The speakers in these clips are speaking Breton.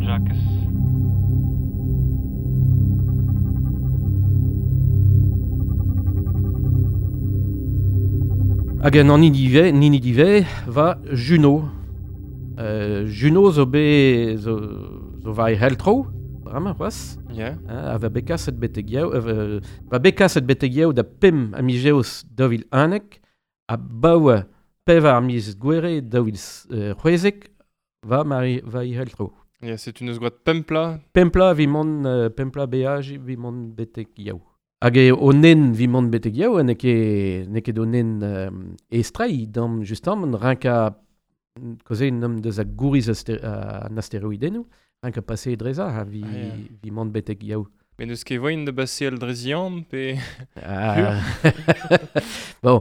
Jakez. Hag an hini nini dive va Juno. Juno zo be zo, zo va e heltro, bremañ c'hoazh. Yeah. A va bet kaset betek yaou, va bet kaset betek yaou da pemp a miz 2011 a baoue pevar miz gwere 2016 va mari va i heltro. Yeah, c'est une eus gwad pempla. Pempla vi mont pempla beaj vi mont betek yaou. Hag e o nen vi mont betek yaou, ne ket o nen estrei dam justement rinka koze nom deus a gouriz an asteroidennoù, rinka pase dreza ha vi, ah, yeah. vi mont betek yaou. Mais neus ket voin de baseal drezian pe... Ah. Bon,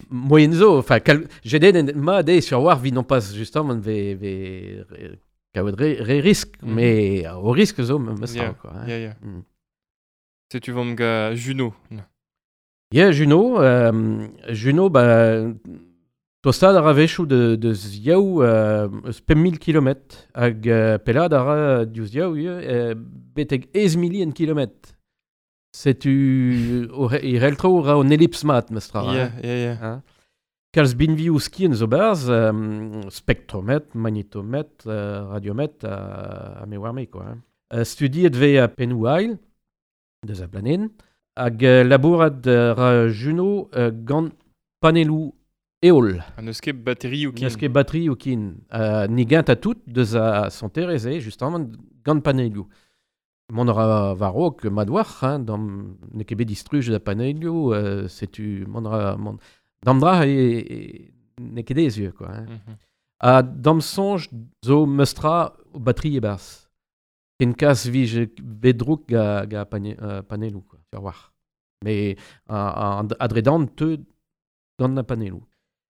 moyen zo, enfin, jeden ma de sur war vi non pas justement ve ve kaout re risk, mm. Mais o risk zo me yeah. quoi. Hein. Yeah, yeah. Mm. Setu vam ga Juno. Yeah, Juno, Juno, ba, tostad a ra vechoù de yaou eus 5.000 kilometr hag pelad a ra diouzh yaou betek ez milien kilometr. Setu e reltro ra an elips mat, mestra. Yeah, yeah, yeah. Hein? Kalz binvioù skien zo barz, spektrometr, magnetometr, radiometr, ha me war me, quoi. Hein. Studiet ve a pennoù ail, deus a blanen, hag labourat ra Juno gant panelloù eol. Ha n'eus ket batterioù kin. N'eus ket batterioù kin. Ni gant a tout deus a santerez, justement, gant panelloù. Mont ra war-raok mat war, hein, dam n'eo ket bet distruj da panelloù, setu mont ra... Mont, dam dra e n'eo ket ez quoi. Hein. Mm -hmm. Ha dam soñj zo meustra o batterie e-barzh. Ken kas vije bedrouk ga panelloù, quoi, sur war. Mais adredan teu gant na panelloù.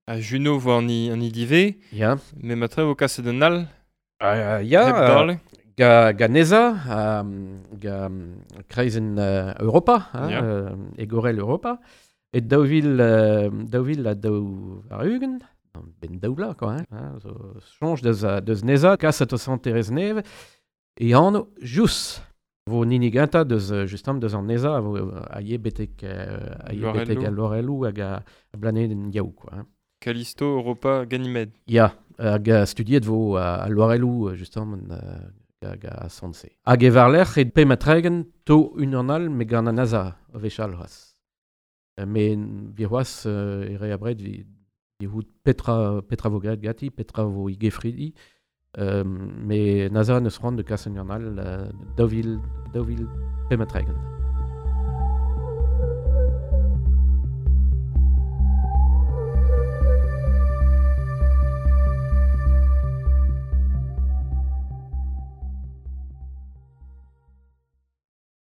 A Juno vo an idive, yeah. Mais matre vo kaset un all. Ya, ga NESA, ga kreizenn Europa, hein, yeah. Egorel Europa, et daou vil ha daou ar-ugent, ben daoula, quoi, hein, zo soñj deus NESA, kaset o santerez neve, e anv Jous. Vo nini ganta deus justement deus an NESA vo a ye betek a Lorelou hag a blanedenn yaou, quoi. Hein. Callisto, Europa, Ganymède. Ya, hag studiet vo a Lorelou justement hag a Sanse. Hag e varlerc'h e pemp ha tregont to unan all me gant an NASA o wechall c'hoazh. Me vi c'hoazh e re abred vi hout petra vo graet gati, petra vo i gefridi. Me NASA neus c'hoant de kas un all 2035.